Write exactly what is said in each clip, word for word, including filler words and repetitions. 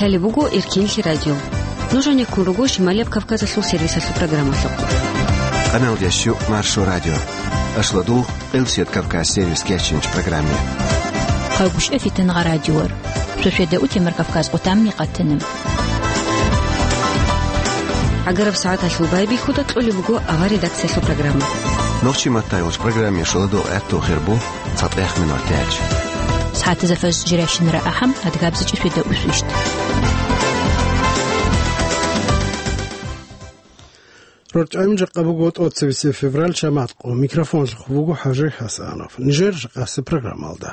Гьале буго Эркинлъи радио. Нуж гьанеккун руго Шималияб Кавказалъул сервисалъул программалъухъ. Къаналдящу Маршо радио. Ашладул Къилсият Кавказ сервис кечинч программе. Хъагушев Фитангъа радиор. Шошеда утемар Кавказ къутамни къатана. ГӀагараб сагӀаталъул байбихьуда кьолеб буго авар редакциялъул программа. Нохчи маттайгъуч программе шоладул гӀатту хирбу. ЦатӀех минутач. СагӀатазда фаж жирайщинара ахӀам, адгабзичӀи шведа усвищт. РорчӀами жакъа буго тӀоцебесеб февраль, шамат къо. Микрофонлъухъ буго ХӀажи ХӀасанов. Нижер жакъасе программалда.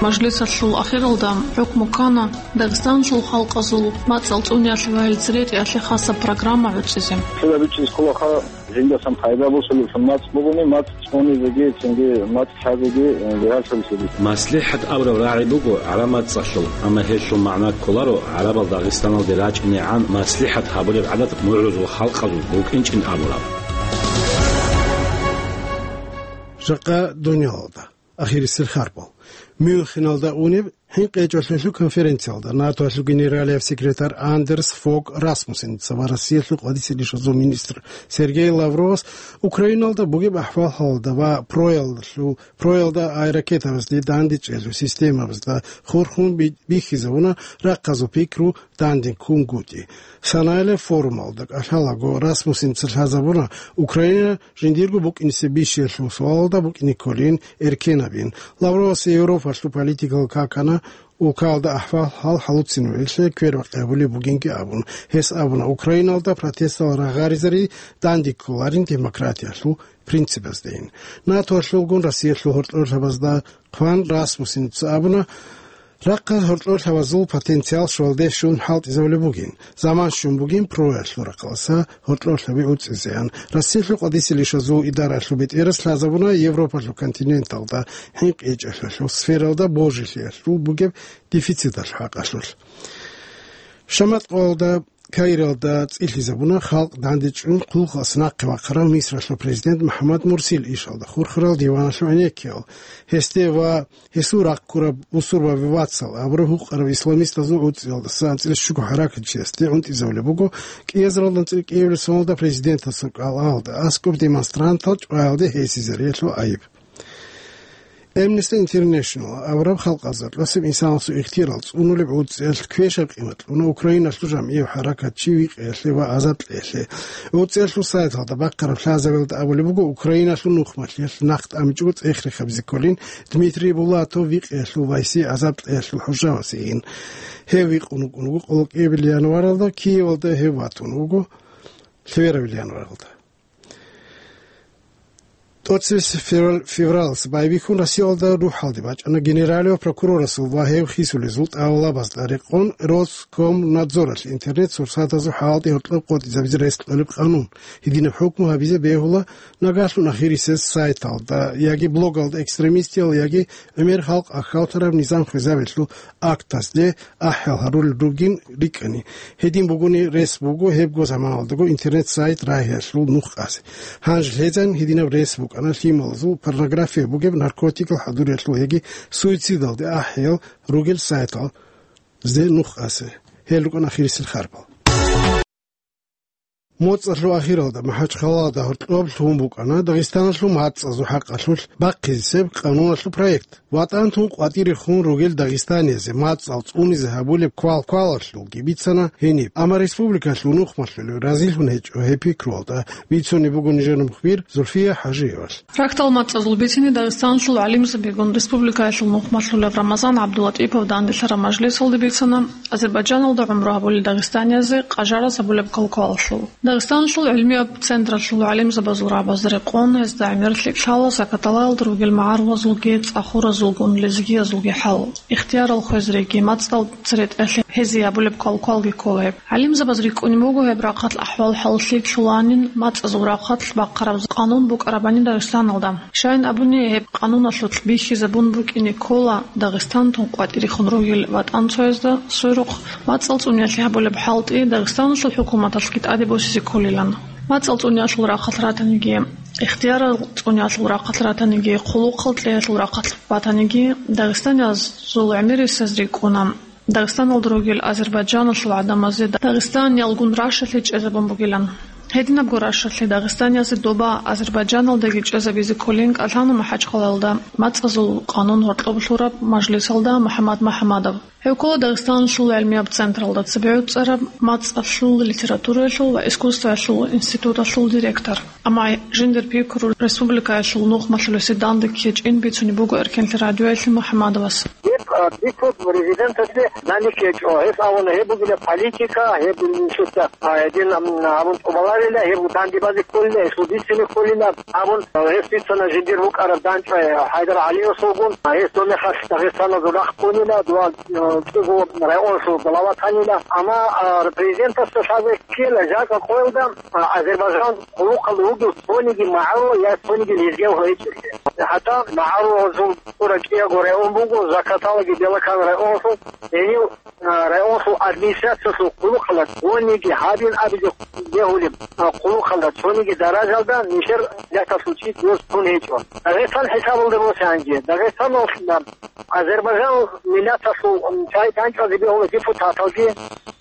Мажлисалъул ахиралда хӀукму ккана Дагъистаналъул халкъазул мацӀал цӀуниялъе ва гьел церетӀиялъе хасаб программа гӀуцӀизе. Цо гьабичӀеб кколаха, жиндасан пайда босулеб мацӀ бугони, мацӀ цӀунизеги, цинги мацӀ лъазеги, э, бигьалъулелъул. МаслихӀат абураб рагӀи буго гӀараб мацӀалъул, амма гьелъул магӀна кколаро гӀарабал Дагъистаналде рачӀинегӀан маслихӀат гьабулеб гӀадат мугӀрузул халкъазул букӀинчӀин абураб. Жакъа дуниялалда. Ахирисел харбал. Мюнхеналда унеб хӀинкъичӀолъиялъул конференциялда НАТОялъул генералияб секретарь Андерс Фог Расмуссеница ва Россиялъул къватӀисел ишазул министр Сергей Лавровас Украиналда бугеб ахӀвал-хӀалалда ва проялдалъул, проялда ай ракетабазде дандечӀелъул системабазда хурхун би-, бихьизабуна рахъазул пикру дандеккунгутӀи. Санаялъ форумалда кӀалъалаго Расмуссеница лъазабуна Украина жиндирго букӀинисе бищиялъул суалалда букӀине кколин эркенабин. Лавровас Европалъул политикалъ какана улкалда ахӀвал-хӀал хӀалуцинавилъе квербакъи гьабулеб бугинги абун. Гьес абуна, Украиналда протестал рагъаризари дандекколарин демократиялъул принципаздейин. НАТОялъулгун Россиялъул гьоркьорлъабазда хъван Расмуссеница абуна, рахъал гьоркьорлъабазул потенциал щвалде щун хӀалтӀизабулеб бугин. Заман щун бугин проялъул рахъалъа гьоркьорлъаби уцӀизеян. Россиялъул къватӀисел ишазул идараялъул бетӀерас лъазабуна Европалъул континенталда хӀинкъичӀелъиялъул сфералда божилъиялъул бугеб дефициталъул хӀакъалъулъ. Шамат къоялда Каиралда цӀилъизабуна халкъ дандечӀун хъулухъалъ нахъе вахъарав Мисралъул президент МухӀаммад Мурсил ишалда хурхарал диваналъул гӀенеккиял. Гьесде ва гьесул рахъ ккураб бусурбаби вацал абураб гьукъараб исламистазул гӀуцӀиялдаса анцӀила щуго хӀаракатчиясде гӀунтӀизабулеб буго, кӀиазаралда анцӀила кӀиабилеб соналда президентасул кӀалалда аскӀоб демонстрантал чӀваялде гьесизариялъул гӀайиб. Amnesty International абураб халкъазда кьасеб инсанасул ихтияр цӀунулеб гӀуцӀиялъ квешаб къимат кьуна Украиналъул жамгӀияв хӀаракатчи викъиялъе ва азадлъиялъе. ГӀуцӀиялъул сайталда бахъараб лъазабиялда абулеб буго, Украиналъул нухмалъиялъ нахъ тӀамичӀого цӀех-рехабизе кколин Дмитрий Булатов викъиялъул вайси азадлъиялъул хӀужавасейин. Гьев викъун вукӀун вуго къоло кӀиабилеб январалда, Киевалда гьев ватун вуго лъеберабилеб январалда. ТӀоцебесеб февраль-, февралалъ байбихьун Россиялда рухӀалде бачӀана генералияб прокурорасул ва гьев хисулезул тӀалабазда рекъон Роскомнадзоралъ интернет-сурсатазул хӀалтӀи гьоркьоб къотӀизабизе рес кьолеб къанун. Гьединаб хӀукму гьабизе бегьула нагагьлъун ахирисез сайталда яги блогалда экстремистиял яги гӀемер халкъ ахьалтараб низам хвезабиялъул актазде ахӀел гьарулел ругин рикӀкӀани. Гьедин бугони рес буго гьебго заманалдаго интернет-сайт рагьиялъул нух къазе. Гьанже лъезан гьединаб рес букӀана лъималазул порнография бугеб, наркотикал хӀадуриялъул яги суицидалде ахӀел ругел сайталазде нух къазе. Гьел рукӀана ахирисел харбал. МоцӀалъул ахиралда МахӀачхъалада гьоркьоб лъугьун букӀана Дагъистаналъул мацӀазул хӀакъалъулъ бахъизесеб къануналъул проект. ВатӀан тун къватӀирехун ругел дагъистаниязе мацӀал цӀунизе гьабулеб квал-квалалъулги бицана гьениб. Амма республикалъул нухмалъулев разилъун гьечӀо гьеб пикруялда, бицунеб буго нижер мухбир Зульфия ХӀажиевалъ. Рахьдал мацӀазул бицине Дагъистаналъул гӀалимзабигун республикаялъул нухмалъулев Рамазан ГӀабдулатӀипов данделъараб мажлисалде бицана Азербайджаналда гӀумру гьабулел дагъистаниязе къажараз гьабулеб квал-квалалъул. Дагъистаналъул гӀилмияб централъул гӀалимзабазул рагӀабазда рекъон гьезда гӀемер лъикӀлъала закаталаялда ругел магӀарулазулги, цӀахуразулгун лезгиязулги хӀал, ихтиярал хвезариги, мацӀал церетӀелъи гьезие гьабулеб квал-квалги ккола гьеб. ГӀалимзабаз рикӀкӀунеб буго гьеб рахъалъ ахӀвал-хӀал лъикӀлъуланин, мацӀазул рахъалъ бахъараб къанун букӀарабани Дагъистаналда. Щайин абуни, гьеб къануналъулъ бихьизабун букӀине ккола Дагъистан тун къватӀирехун ругел ватӀанцоязда сверухъ мацӀал цӀуниялъе гьабулеб хӀалтӀи Дагъистаналъул хӀукуматалъги тӀаде босизе кколилан. МацӀал цӀуниялъул рахъалъ ратаниги, ихтиярал цӀуниялъул рахъалъ ратаниги, хъулухъал кьеялъул рахъалъ батаниги, дагъистаниязул гӀемерисез рикӀкӀуна. Дагъистаналда ругел азербайджаналъул гӀадамазе Дагъистан ялгун рашалъе чӀезабун бугилан. Гьединабго рашалъе дагъистаниязе доба Азербайджаналдаги чӀезабизе кколин кӀалъана МахӀачхъалаялда мацӀазул къанун гьоркьоб лъураб мажлисалда МухӀаммад МухӀаммадов. Гьев ккола Дагъистаналъул гӀилмияб централда цебегӀуцӀараб мацӀалъул литератураялъул ва искусствоялъул институталъул директор. Амма жиндир пикру республикаялъул нухмалъулесе данде ккечӀин бицунеб буго Эркенлъи радиоялъе МухӀаммадовас. Гьеб, а, бицун президенталъе данде ккечӀо. Гьес абуна, гьеб бугила политика, гьеб нилъеца, а, гьедин, ам, абун тӀубаларила, гьеб данде базе кколила, гьесул бицине кколила абун, а, гьес бицана жиндир букӀараб дандчӀвай ХӀайдар ГӀалиевасулгун, а, гьес доб мехалъ дагъистаназул рахъ ккунила, дова, а, кӀиго районсул глава танила. Амма, а, президентасда лъазе ккела жакъа къоялда, а, Азербайджан хъулухъалда вугев цониги магӀарул я цониги лезгияв гьечӀелъи. ХӀатта магӀарулазул тӀура кӀиявго район буго, Закаталаги Белокан районсул, гьенив, а, районсул администрациялъул хъулухъалда цониги гьабин абизе бегьулеб, а, хъулухъалда цониги даражалда нилъер миллаталъул чи доз тун гьечӀо. Дагъистан хӀисабалда босанги, Дагъистаналда Азербайджан миллаталъул, м, чагӀи дандчӀвазе бегьула депутаталги,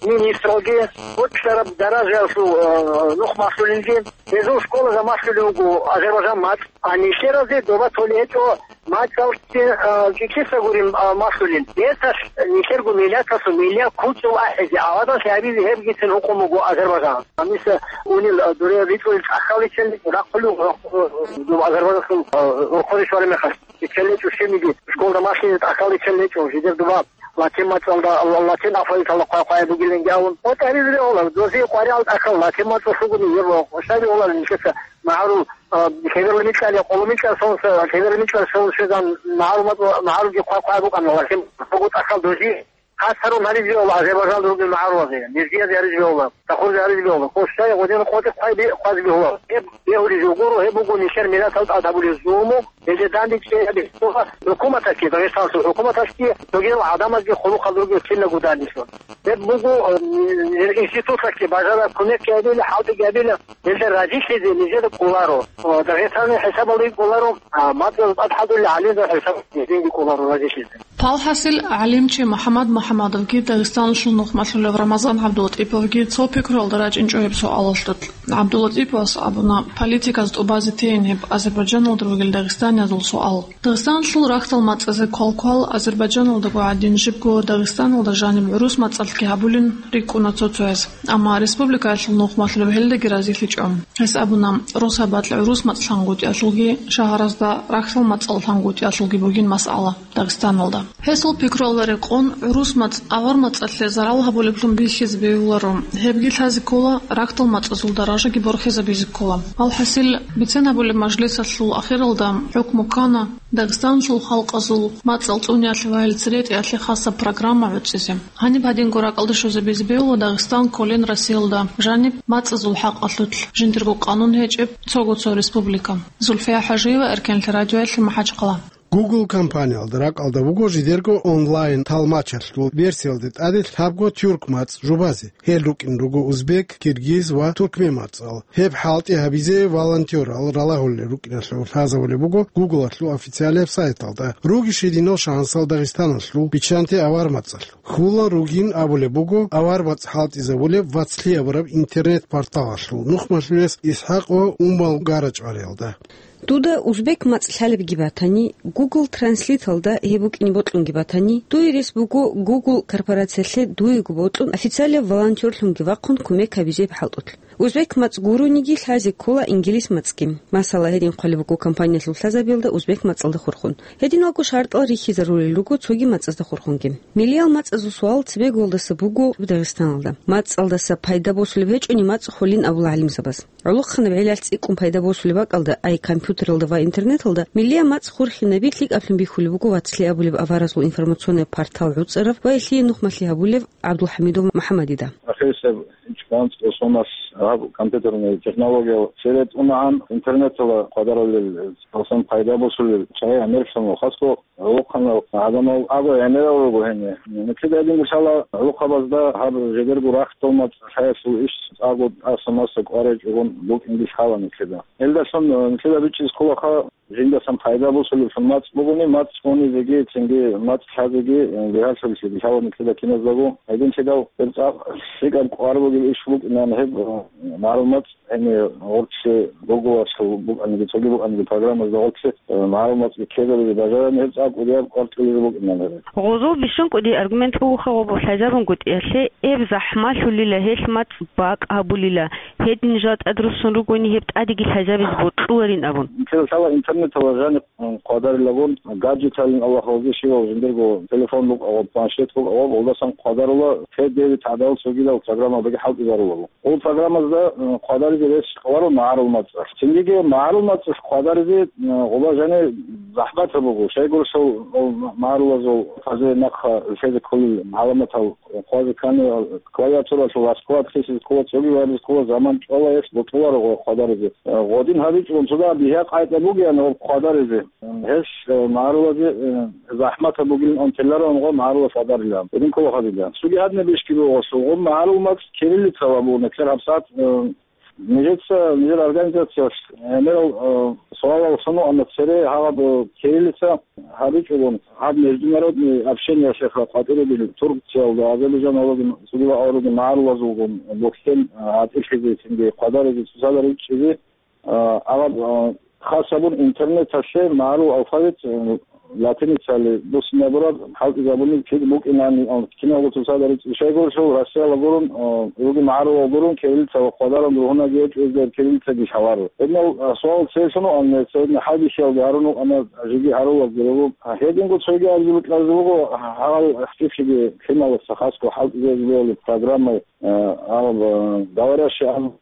министралги, гьоркьараб даражаялъул, э, нухмалъулелги, гьезул школазда малъулеб буго Азербайджан мацӀ. А нилъеразе доба толеб гьечӀо мацӀалги, э, кӀикиса гурин, э, малъулел. Гьелдалъ нилъерго миллаталъул миллият кучӀул ахӀизе, аваданлъи гьабизе гьебгицин гьукъун буго Азербайджан. Гьаниса унел, э, дуре ритӀулел тӀахьаличел рахъулев, э, э, Азербайджанлъун, э, рохъоре щвараб мехалъ. ИччаличӀо щибниги, школда малъизе тӀахьал иччаличӀо, жидер дуба латин мацӀалда, латин алфавиталда хъвай-хъвай бугиланги абун. ГъотӀ гьаризе бегьула, дозе къваригӀал тӀахьал латин мацӀалъугуни, гьеб щай бегьуларин нилъеца магӀарул, а, лъеберла микьал я къоло микьал сонса, лъеберла микьал сон щвезан магӀарул мацӀ-, магӀарулги хъвай-хъвай букӀана латин мацӀалъугу тӀахьал дозе. Хасарун гьаризе бегьула Азербайджан ругел магӀарулазе, лезгиязе гьаризе бегьула, тахурзе гьаризе бегьула, къосдай гъодин къотӀи хъвай бе-, хъвазе бегьула. Гьеб бегьулизе гуро, гьеб буго нилъер миллаталда тӀад гьабулеб зулму, гьелде данде чӀей гьабизе бегьула хӀукуматалъги, Дагъистаналъул хӀукуматалъги, цогидал гӀадамазги хъулухъалда ругел киналго данделъун. Гьеб буго, э, институтлъаки бажараб кумекги гьабила, хӀалтӀиги гьабила, гьелда разилъизе нижеда кӀоларо. Э, Дагъистаналъул хӀисабалдаги кӀоларо, а, мацӀазда тӀад хӀадурал гӀалимзабазул хӀисабалдаги кӀоларо разилъизе. Палхасил гӀалимчи МухӀаммад МухӀаммадовги Дагъистаналъул нухмалъулев Рамазан ГӀабдулатӀиповги цо пикруялда рачӀинчӀо гьеб суалалъулъ. ГӀабдулатӀиповас абуна, политиказ тӀубазе тейин гьеб Азербайджаналда ругел дагъистаниязул суал. Дагъистаналъул рахьдал мацӀазе квалквал Азербайджаналдаго гӀадин жибго Дагъистаналда жаниб гӀурус мацӀалъги гьабулин рикӀкӀуна цо-цояз. Амма республикаялъул нухмалъулев гьелдаги разилъичӀо. Гьес абуна, росабалъ гӀурус мацӀ лъангутӀиялъулги, шагьаразда рахьдал мацӀал лъангутӀиялъулги бугин масъала Дагъистаналда. Гьесул пикруялда рекъон, гӀурус мацӀ авар мацӀалъе зарал гьабулеблъун бихьизе бегьуларо. Гьебги лъазе ккола, рахьдал мацӀазул даражаги борхизабизе ккола. Алхасил, бицен гьабулеб мажлисалъул ахиралда хӀукму ккана, Дагъистаналъул халкъазул мацӀал цӀуниялъе ва гьел церетӀиялъе хасаб программа гӀуцӀизе. Гьаниб гьадинго ракӀалде щвезабизе бегьула Дагъистан кколин Россиялда жаниб мацӀазул хӀакъалъулъ жиндирго къанун гьечӀеб цого цо республика. Зульфия ХӀажиева, Эркенлъи радиоялъе, МахӀачхъала. Google компаниялда ракӀалда буго жидерго онлайн-талмачалъул версиялде тӀаде лъабго тюрк мацӀ жубазе. Гьел рукӀин руго узбек, киргиз ва туркмен мацӀал. Гьеб хӀалтӀи гьабизе волонтёрал ралагьулел рукӀиналъул лъазабулеб буго Google-алъул официалияб сайталда. Руги щединал шагьансал Дагъистаналъул, биччанте авар мацӀалъул. Хьулан ругин абулеб буго авар мацӀ хӀалтӀизабулеб «Вацлъи» абураб интернет-порталалъул нухмалъулес ИсхӀакъ ва Умал Гарачвариялда. Дуда узбек мацӀ лъалебги батани, Google Translate-алда гьеб букӀине бокьунги батани, дуе рес буго Google корпорациялъе дуего бокьун официалияб волонтёрлъунги вахъун кумек гьабизе хӀалтӀулъ. Узбек мацӀ гурониги лъазе ккола инглис мацӀги. Масала, гьедин хъвалеб буго компаниялъул лъазабиялда узбек мацӀалда хурхун. Гьединалго шартӀал рихьизарулел руго цоги мацӀазда хурхунги. Миллиял мацӀазул суал цебеголдаса буго Дагъистаналда. МацӀалдаса пайда босулеб гьечӀони мацӀ холин абула гӀалимзабаз. ГӀолохъанаб гӀелалъ цӀикӀкӀун пайда босулеб бакӀалда, ай компьютералда ва интернеталда, миллиял мацӀ хурхинаби лъикӀаблъун бихьулеб буго «Вацлъи» абулеб аваразул информационный портал гӀуцӀарав ва гьелъие нухмалъи гьабулев ГӀабдулхӀамидов МухӀаммадида. Ахирисеб чканцӀ досонас гьаб компьютерный технологиял цере тӀунагӀан, интернетала хъвадарулел, цоцан пайда босулел чагӀи гӀемерлъун ва хасго гӀолохъанал гӀадамал абу гӀемерал руго гьенир. Нилъеда гьедин гурсала гӀолохъабазда гьаб жидерго рахьдал мацӀ лъаялъул иш цӀакъго тӀаса-маса кӀварай чӀугун букӀинги лъала нилъеда. Гьелдалъун нилъеда бичӀчӀиз кколаха жиндасан пайда босулеблъун мацӀ бугони, мацӀ унизеги, цинги мацӀ лъазеги, э, бигьалъулелъи бихьала нилъеда киназдаго. Гьединлъидал гьеб цӀакъ лъикӀаб кӀвар бугеб иш букӀинан гьеб, э, магӀарул мацӀ, гьенир гъоркьлъи гуглалъул букӀаниги, цоги букӀаниги программазда гъоркьлъи, э, магӀарул мацӀги ккезабизе бажарани гьеб цӀакъ кӀудияб кӀвар кьулеб букӀинан гьеб. Гъозул бищун кӀуди аргумент бугоха гъобу лъазабунгутӀиялъе, гьеб захӀмалъулила, гьелъ мацӀ бакӀ гьабулила, гьедин жал тӀадруссун ругони гьеб тӀадеги лъазабизе бокьуларин абун. Нилъеда лъала интернетала жаниб, м, хъвадарилагун, гаджеталин Аллагь гьалги щивав жиндирго телефон букӀагъаб, планшет букӀагъаб, гъолдасан хъвадарула, федеви тагӀдал цогидал программабаги хӀалтӀизарулаго. Гъол программазда, м, хъвадаризе рес кьоларо магӀарул мацӀалъ. Цингиги магӀарул мацӀалъ хъвадаризе, м, гъоба жани захӀматаб буго. Щайгурелъул гъол магӀарулазул хъазе нахъа лъезе кколел гӀаламатал хъвазе ккани, клавиатуралъул аскӀоб хисизе ккола, цоги вайбизе ккола, заман чӀвала гьес бокьуларо гъой хъвадаризе. Гъодин гьабичӀого цо дагьаб бигьа-къайда бугеян гъоб хъвадаризе. Гьес, э, магӀарулазе, э, захӀматаб бугилан унтилароан гъо магӀарулас хъвадарилан. Гьедин ккола гьабилан. Цоги гьадинаб ишги буго гъосул. Гъоб магӀарул мацӀ кириллицала буго, нилъер гьабсагӀат, э, нижеца, нижер организациялъ, э, гӀемерал, э, суалал лъугьуна цере гьаб, э, кириллица гьабичӀого, гьаб международный общениялъеха къватӀире бил Турциялда, Азербайджаналдагун, цогидал аварагун магӀарулазулгун бухьен, э, гьатӀилъизе, цинги хъвадаризе, цоцазда ричӀчӀизе, а, абаб, а, хас гьабун интернеталъе магӀарул алфавит, э, латиницали буссинабураб хӀалтӀизабуни кид букӀинани, а, киналго цоцазда ричӀчӀи. Щайгурелъул Россияла гурун, а, руги магӀарулал гурун, кириллица ва хъвадарун ругьунаги гьечӀо, гьезда кириллицаги лъаларо. Гьединал, а, суал цере лъугьуна, гьединал хӀалбихьиялги гьарун вукӀана, жеги гьарулазги руго. А, гьединго цоги абизе бокьараб буго, гьал хӀакъикъиги лъималаса хасго хӀалтӀизабиялъе программаялъ, а, а, говорящий ангел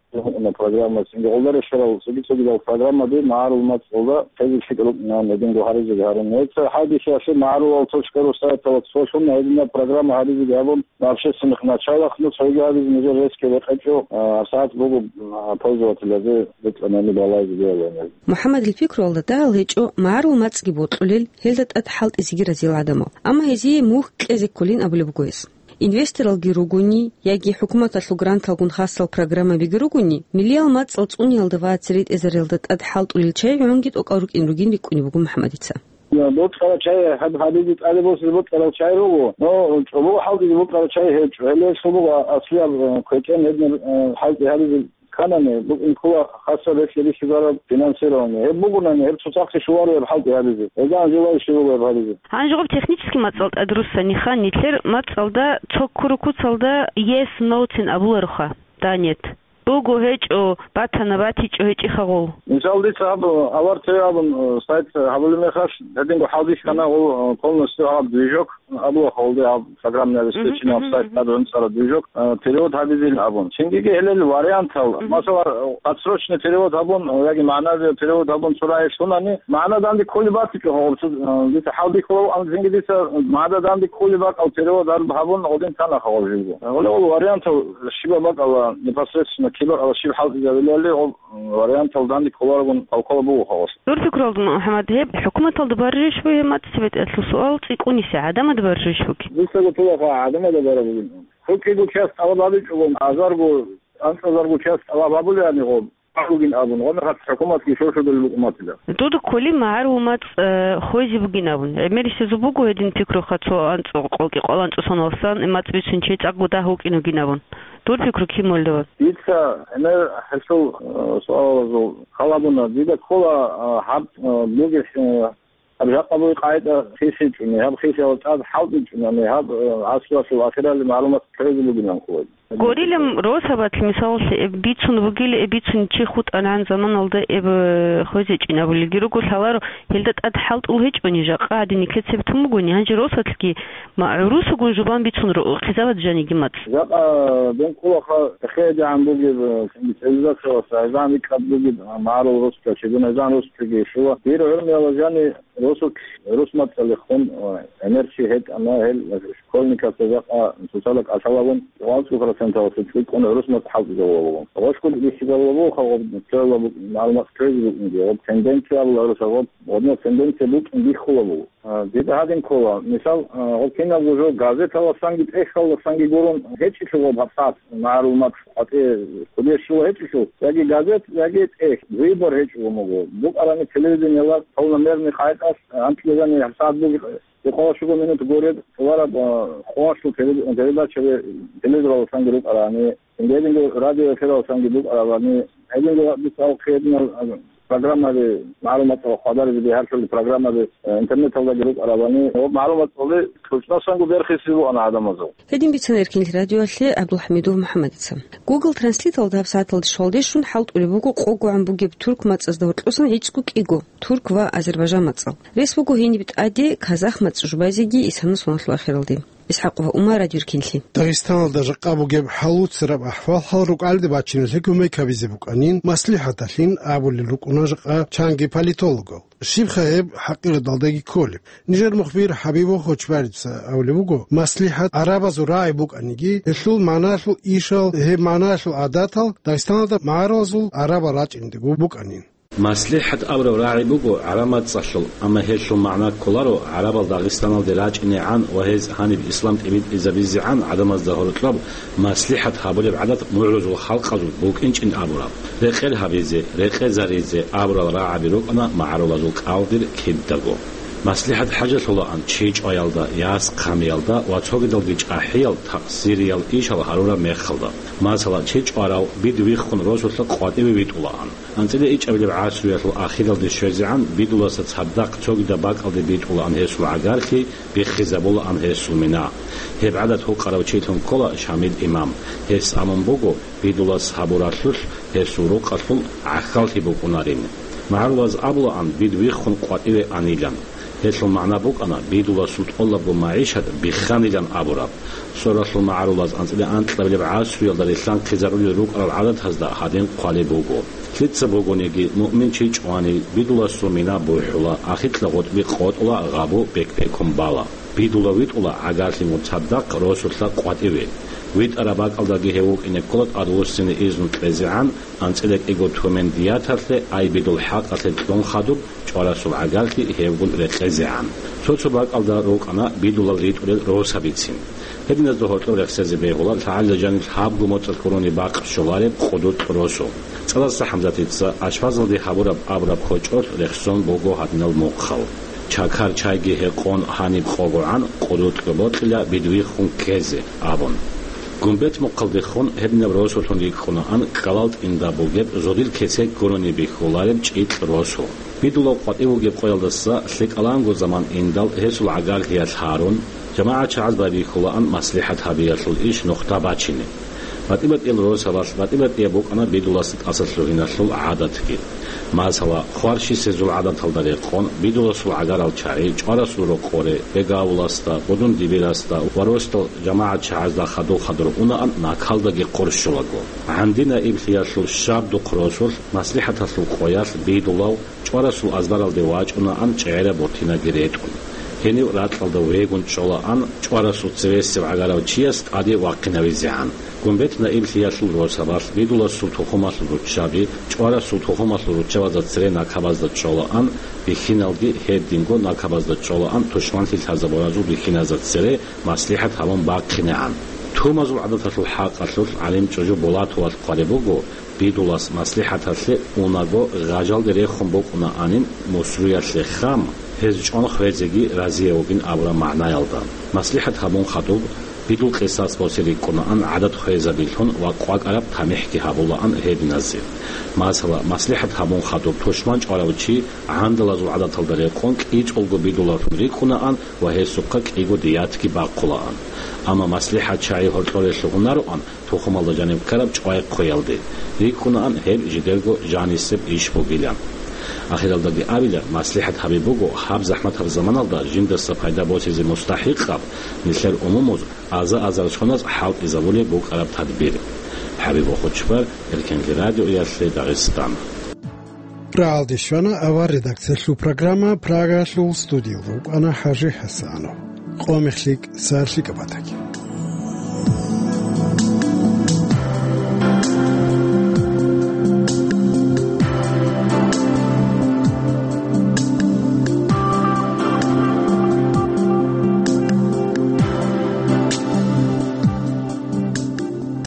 программа, цинги гъолда релълъарал цоги-цогидал программаби магӀарул мацӀалда хӀезил лъикӀал рукӀинан гьединго гьаризеги гьарун. Гьеб цо хӀалбихьиялъе магӀарулал точка ру сайталда цолъун гьединаб программа гьаризеги гьабун, общественных началах, ну, цоги гьабизе нижер рескги рекъечӀо, а, сагӀат буго, а, пользователязе бетӀанани балайзе диялани. МухӀаммадил пикруялда дагьал гьечӀо магӀарул мацӀги бокьулел, гьелда тӀад хӀалтӀизеги разил гӀадамал. Амма гьезие мухь кьезе кколин абулеб буго гьес. Инвесторалги ругони, яги хӀукуматалъул гранталгун хасал программабиги ругони, миллиял мацӀал цӀуниялда ва цере тӀезариялда тӀад хӀалтӀулел чагӀи гӀунги тӀокӀал рукӀин ругин рикӀкӀунеб буго МухӀаммадица. Бокьарал чагӀи гьаб-, гьабизе тӀаде босизе бокьарал чагӀи руго, но чӀобого хӀалтӀизе бокьарал чагӀи гьечӀо. Гьеле гьелъул буго аслияб, э, квекӀен гьединаб, э, хӀалтӀи гьабизе кканани, букӀин ккола хасаб релълъи бихьизараб финансирование. Гьеб бугонани, гьеб цоцахъе щоларо гьеб хӀалтӀи гьабизе. Гьелдаган желающий руго гьеб гьабизе. Гьанже гъоб технический мацӀал тӀадруссаниха, нилъер мацӀалда цо ккуру куцалда yes, no-цин абулароха, да, нет. Буго, гьечӀо, батана, батичӀо, гьечӀиха гъол. Мисал, дица гьаб, э, Авар ТВ абун, э, сайт, э, гьабулеб мехалъ, гьединго хӀалбихьана гъол, э, полностью гьаб движок, абула холде гьаб программное обеспечение сайт гьабун цӀара движок, э, перевод гьабизил абун. Чингиги гьелел вариантал, масала, э, подсрочный перевод гьабун, э, яги магӀнави перевод гьабун цо рагӀи лъунани, магӀна данде кколеб батичӀо гьаб, цо, э, дица хӀалбихьулав, ам цинги дица магӀна данде кколеб бакӀал перевод гьаб-, гьабун гъодин тана хавал жиго. Гьеле гъол вариантал щибаб бакӀала непосредственно кибакӀала щиб хӀалтӀизабилали гъол, э, вариантал данде кколарогун калкула буго хавас. Дур пикруялдун, МухӀаммад, гьеб хӀукуматалда баррищ бугеб мацӀ цебетӀелъул суал цӀикӀкӀуниса, гӀадамалда баррищ бугеб? Дуца гутулаха гӀадамалда бараб бугин. ХӀукъиго часть тӀалаб гьабичӀого, азарго, анцӀазарго часть тӀалаб гьабулеани гъоб, гьабугин абун, гъомехалъ хӀукуматги шошудул букӀуматила. Дуда кколи магӀарул мацӀ, э, хвезе бугин абун. ГӀемерисезул буго гьедин пикруха цо анцӀ-, къолкьи къвал анцӀго соналъан мацӀ бицун чи цӀакъго дагь вукӀин вугин абун. Дур пикру кин мулдава? Дица гӀемер гьелъул, э, суалазул халабуна. Дида ккола, э, гьаб, э, бугес, э, гьаб жакъа бугеб къагӀида хисичӀони, гьаб хисиялда тӀад хӀалтӀичӀони, гьаб, э, гӀасруялъул ахиралде магӀарул мацӀ хвезе бугин абун хъугьа. Горилам росабалъ, мисалалъе, эб бицун бугила, эб бицун чи хутӀарагӀан заманалда эб, э, хвезечӀин абулелги руго, лъаларо, гьелда тӀад хӀалтӀул гьечӀони, жакъа гьадин никлецеб тун бугони, гьанже росалъги ма-, гӀурусагун жубан бицун ро-, хъизабат жаниги мацӀ. Жакъа дун кколаха, хедегӀан бугеб, э, цивилизациялъ гӀезан рикӀкӀад бугеб, э, магӀарул росча, чедун гӀезан росчаги щула. Дир гӀурмияла жани росулъ рус мацӀалихун, э, гӀемер чи гьетӀана, гьел школьникасда жакъа цоцазда кӀалъалагун, гъван цӀухӀрас Таласул цӀикӀкӀун гӀурус мацӀ хӀалтӀизабула буго. Гъошкун бихьизабула буго, гъаб цояла бу-, малумат кквезе букӀинги, гъаб тенденция абула гӀурусаз, гъаб гъодинаб тенденция букӀин биххула буго. А, дида гьадин ккола, мисал, а, гъаб кинабго жо газеталасанги тӀехьалдасанги гурун гьечӀелъул гъаб гьабсагӀат малумат къватӀи хъудеш щула гьечӀелъул, яги газет, яги тӀехь, выбор гьечӀого буго. БукӀарани телевидениела полномерный къайдалъ, анкьизани гьабсагӀат буги, Декъала щуго минут гуреб, товараб, а, къоялъул пере-, передачаби телевизоралдасанги рукӀарани, гьединго радиоэфиралдасанги букӀарабани, гьединго дица алхъе гьединал, а, программаби, магӀлуматал хъвадаризе бигьаралъули программаби, а, интернеталдаги рукӀарабани, ва магӀлуматалде кьучӀнасанго берхиси бугӀана гӀадамазул. Гьедин бицана Эркинлъи радиоялъе ГӀабдулхӀамидов МухӀаммадица. Google Translate-алда гьабсагӀаталда щвалде щун хӀалтӀулеб буго къого гӀан бугеб турк мацӀазда гьоркьосан гӀицӀго кӀиго турк ва азербайжан мацӀал. Рес буго гьениб тӀаде казах мацӀ жубазеги исана соналъул ахиралде. ИсхӀакъ ва Умар, Радио Эркинлъи. Дагъистаналда жакъа бугеб хӀалуцараб ахӀвал-хӀал рукӀалде бачиналъе кумек гьабизе букӀанин маслихӀаталъин абулел рукӀуна жакъа чанги политологал. Щибха гьеб хӀакъирадалдаги кколеб? Нижер мухбир ХӀабиб Вохочбарица абулеб буго, маслихӀат гӀарабазул рагӀи букӀаниги, гьелъул магӀналъул ишал, гьеб магӀналъул гӀадатал Дагъистаналда магӀарулазул гӀарабал рачӀиндего букӀанин. МаслихӀат абураб рагӀи буго гӀараб мацӀалъул, амма гьелъул магӀна кколаро гӀарабал Дагъистаналде рачӀинегӀан ва гьез гьаниб ислам тӀибитӀизабизегӀан гӀадамазда гьоркьоб маслихӀат гьабулеб гӀадат мугӀрузул халкъазул букӀинчӀин абураб. Рекъер гьабизе, рекъезаризе абурал рагӀаби рукӀана магӀарулазул кӀалдир кидаго. МаслихӀат хӀажалъулаан чи чӀваялда, яс хъамиялда ва цогидалги чӀахӀиял такъсириял ишал гьарураб мехалда. Масала, чи чӀварав бидвиххун росулъа къватӀиве витӀулаан. АнцӀила ичӀабилеб гӀасруялъул ахиралде щвезегӀан бидуласа цадахъ цогидаб бакӀалде битӀулаан гьесул гӀагарлъи, биххизабулаан гьесул мина. Гьеб гӀадат гьукъарав чилъун ккола Шамил имам. Гьес абун буго, бидулас гьабуралъулъ гьесул рукъалъул гӀахьаллъи букӀунарин. МагӀарулаз абулаан, бидвиххун къватӀиве анилан. Гьелъул магӀна букӀана, бидуласул тӀолабго магӀишат бихханилан абураб. Соралъул магӀарулаз анцӀила анкьабилеб гӀасруялда рилълъанхъизарулел рукӀарал гӀадатазда гьадин хъвалеб буго. Лъица бугониги, муъмин чи чӀвани, бидуласул мина бухӀула, ахикьа гъутӀби къотӀула, гъабу бек-бекун бала. Бидула витӀула гӀагарлъи муцадахъ росулъа къватӀиве. ВитӀараб бакӀалдаги гьев вукӀине ккола тӀадвуссине изну кьезегӀан, анцӀила кӀиго тумен дияталъе, ай бидул хӀакъалъе кьун хадуб, чӀварасул гӀагарлъи гьевгун рекъезегӀан. Цо-цо бакӀалда рукӀана бидулал ритӀулел росабицин. Гьединазда гьоркьоб рехсезе бегьула лъагӀалила жаниб лъабго моцӀалъ гурони бакъ щолареб къудукь росу. ЦӀадаса ХӀамзатица Ашфазалде гьабураб абураб кочӀолъ рехсон буго гьадинал мухъал. Чакар чайги гьекъон гьаниб къогогӀан къудукьго бокьила бидвиххун ккезе, абун. Гумбет мухъалдехун гьединаб росулъун рикӀкӀунаан кӀкӀалал тӀинда бугеб зодил кесек гурони бихьулареб чӀикь росу. Бидулав къватӀив вугеб къоялдаса лъикӀаланго заман индал гьесул гӀагарлъиялъ гьарун, жамагӀат чагӀаз байбихьулаан маслихӀат гьабиялъул иш нухда бачине. БатӀи-батӀиял росабалъ батӀи-батӀияб букӀана бидуласда тӀасалъугьиналъул гӀадатги. Масала, хварщисезул гӀадаталда рекъон, бидуласул гӀагарал чагӀи чӀварасул рокъоре, бегавуласда, будун-дибирасда ва росдал жамагӀат чагӀазда хадур-хадур унаан накалдаги хъурщулаго. ГӀанди наиблъиялъул щаб-духъ росулъ маслихӀаталъул къоялъ бидулав чӀварасул азбаралде вачӀунаан чӀегӀераб бортинаги ретӀун. Гьенив ракьалда вегун чӀолаан чӀварасул цевесев гӀагарав чияс тӀаде вахъинавизегӀан. Гумбет наиблъиялъул росабалъ бидуласул тухумалъул руччаби чӀварасул тухумалъул руччабазда цере накабазда чӀолаан, бихьиналги гьединго накабазда чӀолаан тушманлъи лъазабуразул бихьиназда цере маслихӀат гьабун бахъинегӀан. Тумазул гӀадаталъул хӀакъалъулъ гӀалим чӀужу Булатовалъ хъвалеб буго, Бидулас маслихӀаталъе унаго гъажалде рехун букӀунаанин мусруялъе хам, гьез чӀван хвезеги разияв вугин абураб магӀнаялда. МаслихӀат гьабун хадуб, бидул къисас босе рикӀкӀунаан гӀадат хвезабилъун ва къвакӀараб тамихӀги гьабулаан гьединазе. Масала, маслихӀат гьабун хадуб тушман чӀварав чи гӀандалазул гӀадаталда рекъон кӀицӀулго бидулалъун рикӀкӀунаан ва гьесухъа кӀиго диятги бахъулаан. Амма маслихӀат чагӀи гьоркьорелъул унароан, тухумалда жаниб ккараб чӀвай хъвеялде. РикӀкӀунаан гьеб жидерго жанисеб иш бугилан. Ахиралдаги абила, маслихӀат гьаби буго, гьаб захӀматаб заманалда жиндаса пайда босизе мустахӀикъаб, нилъер умумуз аза-азар соназ хӀалтӀизабулеб букӀараб тадбир. ХӀабиб Вахучбар, Эркенлъи радиоялъе Дагъистан. Рагьалде щвана авар редакциялъул программа, Прагалъул студиялда вукӀана ХӀажи ХӀасанов. Къо мехлъи, сарлъи кӀабатаги.